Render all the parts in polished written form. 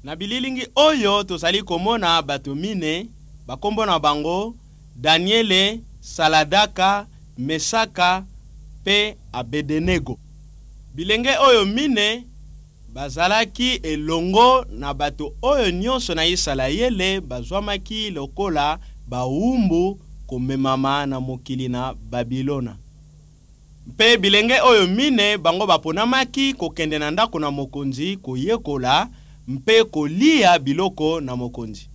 Na bililingi oyo tozali komona bato mine, bakombo na bango Daniele, Saladaka, Mesaka mpe Abedenego. Bilenge oyo mine bazalaki elongo na bato oyo nyonso na Isalayele bazwamaki lokola bawumbu komemama na mokili na Babilona. Mpe bilenge oyo mine bango baponamaki kokende na ndako na mokonzi koyekola mpe kolia biloko na mokonzi.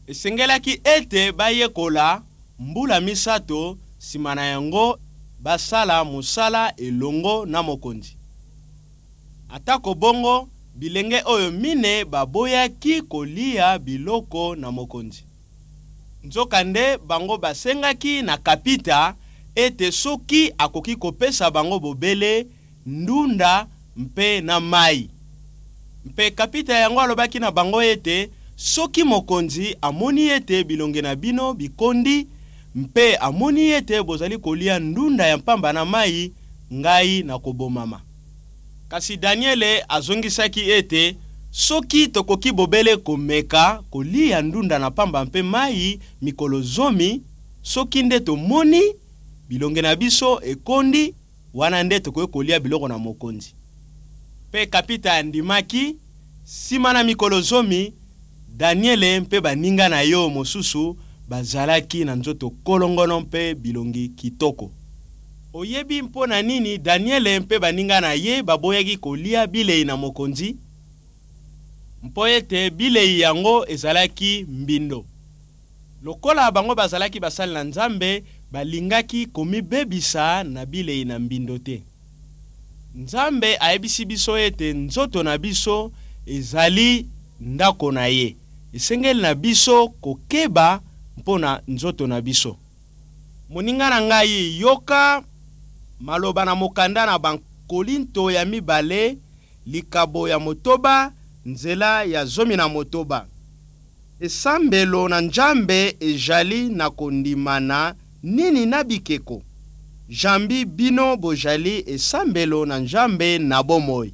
Esengelaki ete bayekola mbula misato, nsima na yango basala mosala elongo na mokonzi. Atako bongo, bilenge oyo mine baboyaki kolia biloko na mokonzi. Nzokande bango basengaki na kapita ete soki akoki kopesa bango bobele ndunda mpe na mai. Mpe kapita yango alobaki na bango ete, Soki mokonzi amoni ete bilongi na bino bikondi mpe amoni ete bozali kolia ndunda ya mpamba na mai, ngai nakobomama. Kasi Daniele azongisaki ete, Soki tokoki bobele komeka kolia ndunda na pamba mpe mai mikolo zomi, soki nde tomoni bilongi na biso ekondi, wana nde tokoki kolia biloko na mokonzi. Mpe kapita andimaki. Nsima na mikolo zomi, Daniele mpe baninga na ye mosusu bazalaki na nzoto kolongono mpe bilongi kitoko. Oyebi mpo na nini Daniele mpe baninga na ye baboyaki kolia bilei na mokonzi? Mpo ete bilei yango ezalaki mbindo. Lokola bango bazalaki basali na Nzambe, balingaki komibebisa na bilei na mbindo te. Nzambe ayebisi biso ete nzoto na biso ezali ndako na ye. Esengeli na biso kokeba mpo na nzoto na biso. Moninga na ngai, yoka maloba na mokanda na Bakolinto ya mibale, likabo ya motoba, nzela ya 16. Esambelo na Njambe ejali na kondimana nini na bikeko? Jambi bino bojali esambelo na Njambe na bomoi.